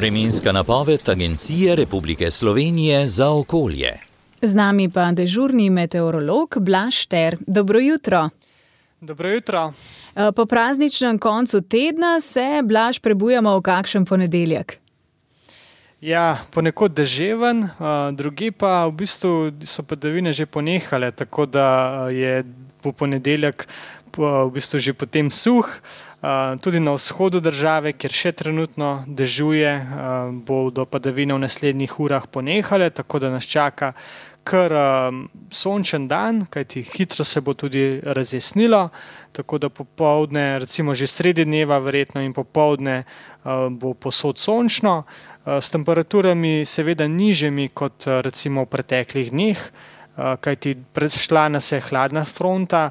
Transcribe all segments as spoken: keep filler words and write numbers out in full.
Vremenska napoved Agencije Republike Slovenije za okolje. Z nami pa dežurni meteorolog Blaž Šter. Dobro jutro. Dobro jutro. Po prazničnem koncu tedna se, Blaž, prebujamo v kakšen ponedeljek? Ja, ponekod deževen, drugi pa v bistvu so padavine že ponehale, tako da je po ponedeljek v bistvu že potem suh. Tudi na vzhodu države, kjer še trenutno dežuje, bodo padavine v naslednjih urah ponehale, tako da nas čaka kar sončen dan, kajti hitro se bo tudi razjasnilo, tako da popoldne, recimo že sredi dneva verjetno in popoldne bo povsod sončno, s temperaturami seveda nižjimi kot recimo v preteklih dneh, kajti prešla nas je hladna fronta,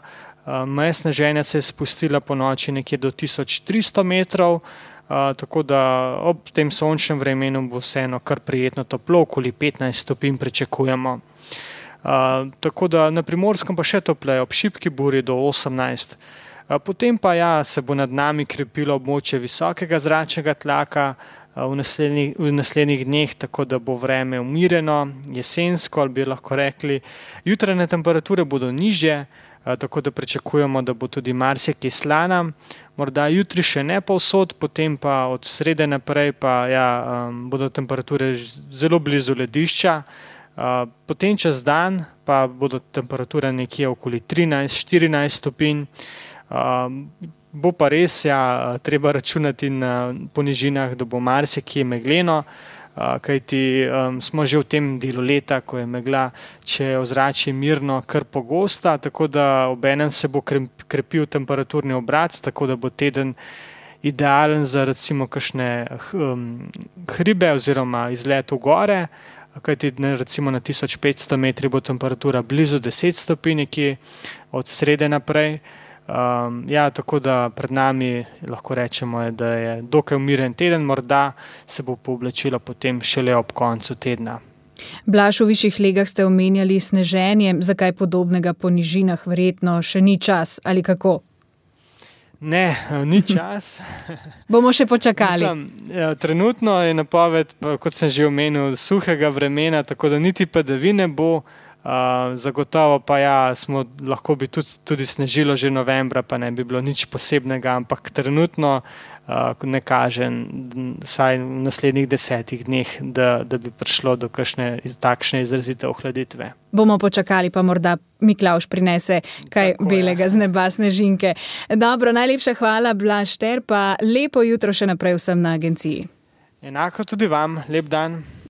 meja sneženja se je spustila po noči nekje do tisoč tristo metrov, tako da ob tem sončnem vremenu bo vseeno kar prijetno toplo, okoli petnajst stopinj pričakujemo. Tako da na Primorskem pa še topleje, ob šibki burji do osemnajst. Potem pa ja, se bo nad nami krepilo območje visokega zračnega tlaka v naslednjih, v naslednjih dneh, tako da bo vreme umirjeno, jesensko, ali bi lahko rekli. Jutranje temperature bodo nižje, tako da pričakujemo, da bo tudi marsikje slana. Morda jutri še ne povsod, potem pa od srede naprej pa ja, bodo temperature zelo blizu ledišča. Potem čez dan pa bodo temperature nekje okoli trinajst štirinajst stopinj. Bo pa res ja, treba računati na ponižinah, da bo marsikje megleno, kajti um, smo že v tem delu leta, ko je megla, če je ozračje mirno, kar pogosta, tako da obenem se bo krepil temperaturni obrat, tako da bo teden idealen za recimo kakšne um, hribe oziroma izlet v gore, kajti recimo na tisoč petsto metri bo temperatura blizu deset stopinj nekje od srede naprej. Um, ja, tako da pred nami lahko rečemo, da je dokaj umiren teden, morda se bo pooblačilo potem šele ob koncu tedna. Blaž, v višjih legah ste omenjali sneženje, zakaj podobnega po nižinah verjetno še ni čas, ali kako? Ne, ni čas. Bomo še počakali. Mislim, trenutno je napoved, kot sem že omenil, suhega vremena, tako da niti padavine bo. Uh, zagotovo pa ja, smo, lahko bi tudi, tudi snežilo že novembra, pa ne bi bilo nič posebnega, ampak trenutno uh, ne kaže, vsaj v naslednjih desetih dneh, da, da bi prišlo do kakšne takšne izrazite ohladitve. Bomo počakali, pa morda Miklavž prinese kaj Tako belega je. Z neba, snežinke. Dobro, najlepša hvala, Blaž Šter, pa lepo jutro še naprej vsem na agenciji. Enako tudi vam, lep dan.